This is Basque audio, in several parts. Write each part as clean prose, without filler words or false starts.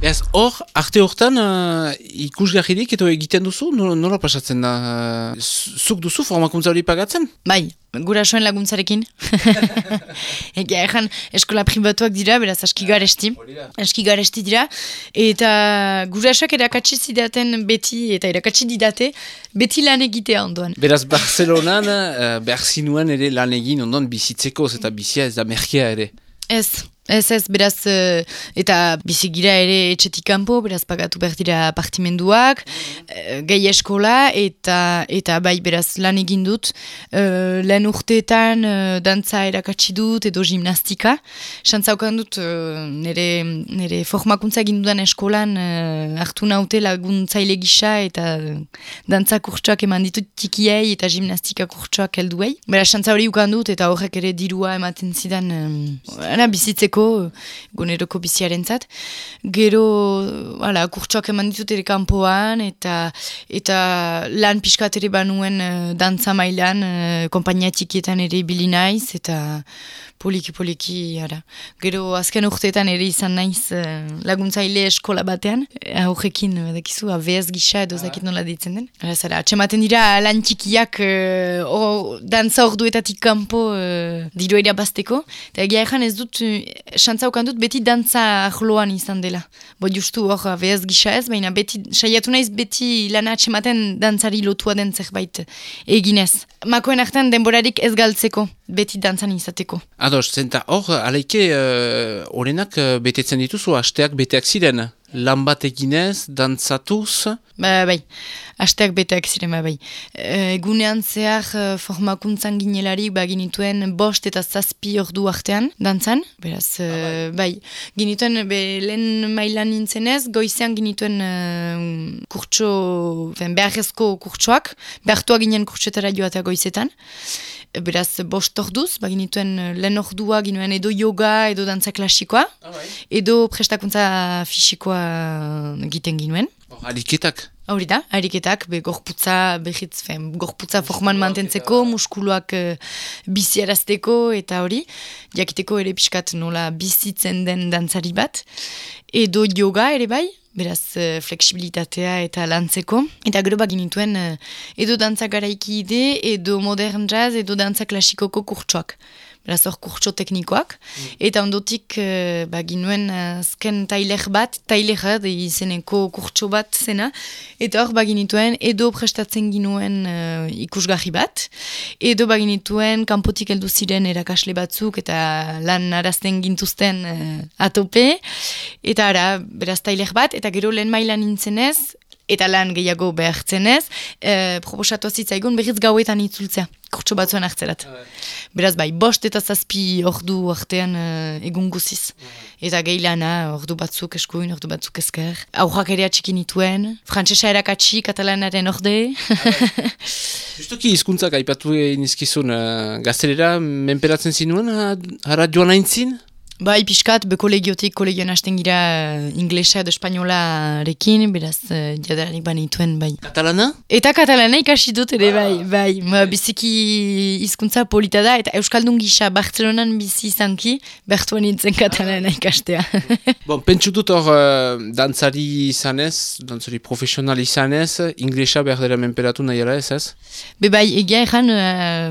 Ez, hor, arte hortan ikusgarririk edo egiten duzu, nola pasatzen da? Zuk duzu formakuntza hori pagatzen? Bai, gurasoen laguntzarekin. Egia ezan eskola pribatuak dira, beraz aski garesti dira. Eta gurasoak erakatsi zidaten beti, eta erakatsi didate, beti lan egitea ondoan. Beraz, Barcelonan behar zinuen ere lan egin ondoan bizitzeko, eta bizia ez da merkea ere. Ez, beraz, eta bizigira ere etxetik kanpo, beraz pagatu behar dira partimenduak, gehi eskola, eta bai, beraz, lan egin dut. Lehen urteetan dantza erakatsi dut, edo gimnastika. Xantzaukan dut, nire formakuntza egin dudan eskolan hartu naute laguntzaile gisa, eta dantza kurtsoak eman ditut tikiei, eta gimnastika kurtsoak helduei. Beraz, xantza hori ukan dut, eta horrek ere dirua ematen zidan bizitzeko, guneroko biziarentzat. Gero, kurtsoak eman ditut ere kanpoan, eta lan pixkat ere banuen dantza mailan, kompainia txikietan ere ibili naiz, eta poliki, Gero, azken urteetan ere izan naiz laguntzaile eskola batean, horrekin, dakizu, AVS gisa edo zakit nola ditzen den. Atxematen dira lan txikiak dantza orduetatik kanpo diru irabazteko, eta egia ezan ez dut, xantzaukan dut beti dantza ahloan izan dela. Justu hor AVS gisa ez, baina beti, saiatu naiz beti lana atxematen dantzari lotua den zerbait eginez. Makoen artean denborarik ez galtzeko, beti dantzan izateko. Ados, zenta hor, aleike, horrenak betetzen dituzu, hasteak beteak ziren, lan bat eginez, dantzatuz? Bai, hasteak beteak ziren, bai. Egunean zehar formakuntzan ginelarik, ginituen 5 eta 7 ordu artean, dantzan, beraz, bai. Ginituen, lehen mailan nintzenez, goizean ginituen beharrezko kurtsoak, behartua ginen kurtsoetara joatea goizetan. Beraz, 5 orduz, ginituen lehen ordua ginuen edo yoga, edo dantza klasikoa, edo prestakuntza fisikoa egiten ginuen. Ariketak? Hori da, ariketak, gorputza forman mantentzeko, muskuluak biziarazteko eta hori, jakiteko ere pixkat nola bizitzen den dantzari bat, edo yoga ere bai, beraz fleksibilitatea eta lantzeko. Eta gero baginituen edo dantza garaiki ide, edo modern jazz, edo dantza klasikoko kurtsoak. Beraz hor kurtso teknikoak. Eta ondotik baginuen azken tailer izeneko kurtso bat zena. Eta hor baginituen edo prestatzen ginuen ikusgarri bat. Edo baginituen kanpotik heldu ziren erakasle batzuk eta lan arazten gintuzten atope. Eta beraz tailer bat, eta gero lehen mailan nintzenez, eta lan gehiago behartzenez, proposatu zitzaigun berriz gauetan itzultzea, kurtso batzuen hartzerat. Beraz bai, 5 eta 7 ordu artean egun guziz. Eta gehi lana, ordu batzuk eskuin, ordu batzuk esker. Aurrak ere atxikin ituen, frantsesa erakatsi, katalanaren orde. Justoki hizkuntzak aipatu nizkizun, gaztelera menperatzen zinuen, hara joan aintzin? Bai, pixkat, kolegiotik kolegioan hasten gira inglesa edo espainolarekin, beraz, jadarik banituen, bai. Katalana? Eta katalana ikasi dut ere, bai. Biziki hizkuntza polita da, eta Euskaldun gisa Bartzelonan bizi izanki, bertuan nintzen katalana ikastea. Pentsu dut hor dantzari izanez, dantzari profesional izanez, inglesa behar dela menperatu nahiara ez? Bai, egia ezan,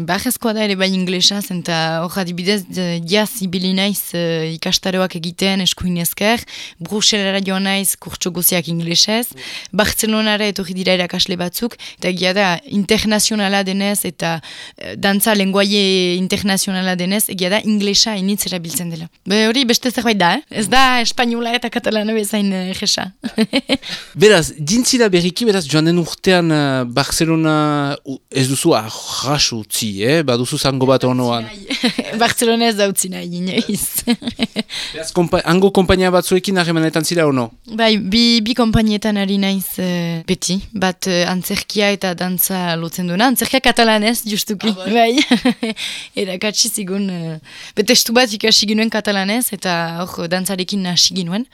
barrezkoa da ere bai inglesa, eta hor adibidez, jaz ibili naiz ikastaroak egiten eskuin esker, Bruselara joan naiz kurtso guziak inglesez, Bartzelonara etorri dira erakasle batzuk, eta egia da internazionala denez eta dantza lenguaie internazionala denez, egia da inglesa initz erabiltzen dela. Hori beste zerbait da, ez da espainola eta katalana bezain jesa. Beraz, dintzira berriki, beraz, joan den urtean Barcelona ez duzu arras utzi, baduzu zango bat honoan. Barcelona ez da utzi nahi, inoiz. Beraz, hango kompainia batzuekin harremanetan zira ono? Bai, bi kompainietan ari naiz beti, bat antzerkia eta dantza lotzen duena, antzerkia katalanez, justuki, bai. Erakatsi zigun, betestu bat ikasi ginuen katalanez, eta hor dantzarekin hasi ginuen.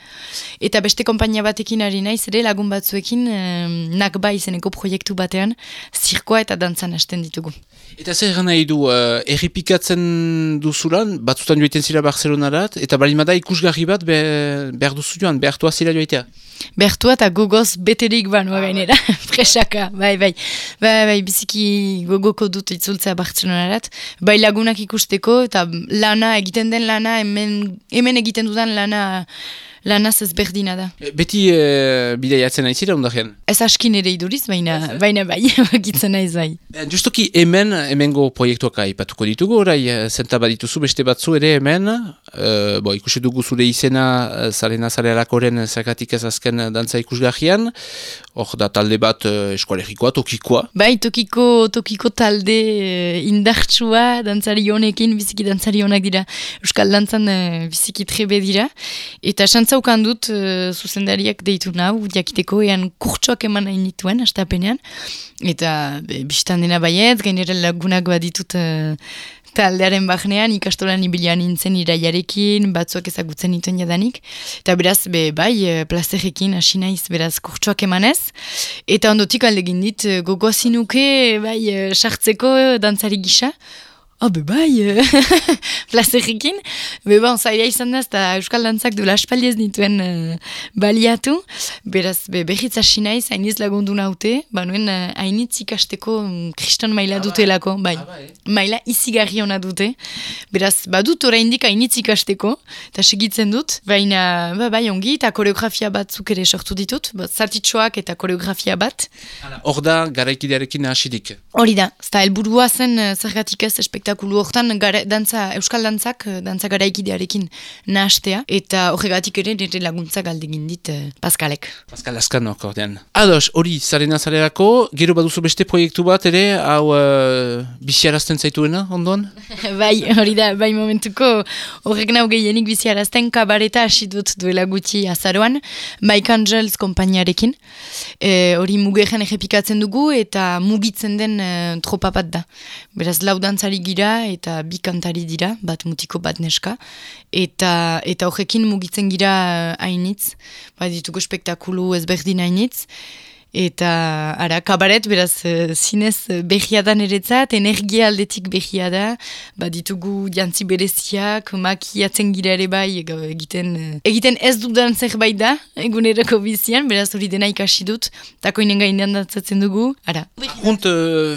Eta beste kompainia batekin ari naiz, ere lagun batzuekin, nakba izeneko proiektu batean, zirkoa eta dantzan hasten ditugu. Eta zer nahi du, errepikatzen duzulan, batzutan joiten zira Barcelonarat, eta balimada ikusgarri bat behar duzu joan, behartua zira joitea? Behartua eta gogoz beterik banua gainera, presaka, bai, biziki gogoko dut itzultzea Barcelonarat, bai lagunak ikusteko, eta egiten den lana, hemen egiten dudan lanaz ezberdina da. Beti bidaiatzen naizira ondarean? Ez askin ere iduriz, baina bai, bakitzen naiz bai. Justoki hemengo proiektuak aipatuko ditugu, orai, zenta badituzu beste batzu ere hemen, ikusi dugu zure izena Zarena Zarealakoren zergatik ez azken dantza ikusgarrian, hor da talde bat eskualerikoa, tokikoa. Bai, tokiko talde indartsua, dantzari honekin, biziki dantzari honak dira, euskal dantzan biziki trebe dira, eta xantzaukan dut zuzendariak deitu nau, jakiteko ean kurtsoak eman nahi nituen, astapenean, eta bistan dena baiet, gainera lagunak baditut taldearen bahnean, ikastolan ibilian nintzen iraiarekin, batzuak ezagutzen nituen jadanik, eta beraz, plazerekin hasi naiz, beraz, kurtsoak emanez, eta ondotik aldegin dit, gogoazinuke, sartzeko dantzari gisa, plazerekin, zaila izan da, eta euskal dantzak duela aspaldi ez nituen baliatu, beraz, behitz hasi naiz, hainiz lagundu naute, nuen hainitz ikasteko kriston maila dutelako, maila izigarri hona dute, beraz, badut oraindik hainitz ikasteko, eta segitzen dut, baina, ongi, eta koreografia batzuk ere sortu ditut, zatitxoak eta koreografia bat. Hor da, garaikidearekin hasidik? Hori da, eta helburua zen zergatik ez espektakulu hortan euskal dantzak, dantza garaikidearekin nahastea, eta horregatik ere nire laguntzak aldegin dit Paskalek. Paskal Askanok ordean. Ados, hori, Zarena Zarealako, gero baduzu beste proiektu bat ere, hau biziarazten zaituena, ondoan? Hori da, momentuko horrek nau gehienik biziarazten kabareta hasi dut duela gutxi azaroan, Mike Angels konpainiarekin, hori mugeren errepikatzen dugu, eta mugitzen den tropa bat da. Beraz, lau dantzari gira eta bi kantari dira, bat mutiko bat neska, eta horrekin mugitzen gira hainitz, ditugu spektakulu ezberdin hainitz, eta kabaret, beraz, zinez behiadan eretzat, energia aldetik behia da, ditugu jantzi bereziak, makiatzen gira ere bai, egiten ez dudan zerbait da, egunerako bizian, beraz hori dena ikasi dut, tako inen gainean dantzatzen dugu, Junt,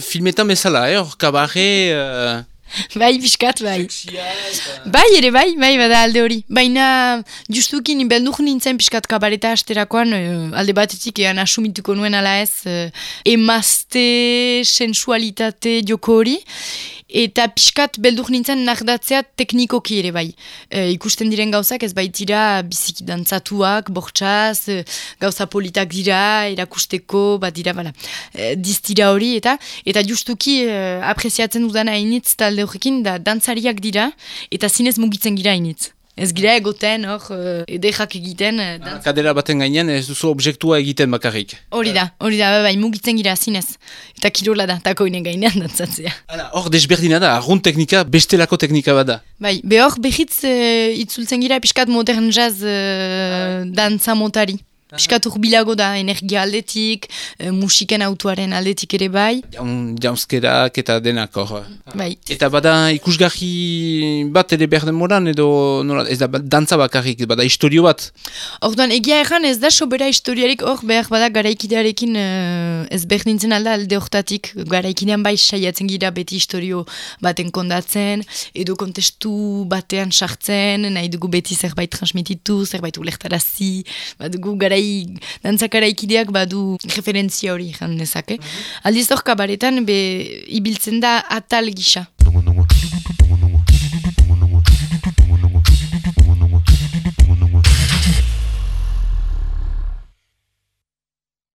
filmetan bezala, hor kabare... Piskat, ere bada alde hori. Baina, justukin, beldur nintzen piskat kabareta asterakoan, alde batetik ean asumituko nuen ala ez, emazte, sensualitate joko hori, eta piskat beldur nintzen nardatzea teknikoki ere bai. Ikusten diren gauzak ez baitira biziki dantzatuak, bortxaz, gauza politak dira, erakusteko, dira, diztira hori, eta justuki apreziatzen dudan hainitz talde horrekin da dantzariak dira, eta zinez mugitzen gira hainitz. Ez gira egoten, edekak egiten. Kadera baten gainean ez duzu objektua egiten bakarrik. Hori da, mugitzen gira zinez. Eta kirola da, tako inen gainean dantzatzea. Hor desberdina da, arrunt teknika, bestelako teknika bada. Behor behitz itzultzen gira piskat modern jazz dantza motari. Piskat urbilago da, energia aldetik, musiken autuaren aldetik ere bai. Jauzkerak eta denak hor. Eta bada ikusgarri bat ere behar demoran edo ez da dantza bakarrik, bada historio bat. Orduan, egia erran ez da sobera historiarik hor behar bada garaikidearekin ez berdintzen alde hortatik. Garaikidean bai saiatzen gira beti historio baten kondatzen, edo kontestu batean sartzen, nahi dugu beti zerbait transmititu, zerbait ulektarazi, badugu dantzakara badu referentzia hori jan dezake. Aldiz hor kabaretan ibiltzen da atal gisa.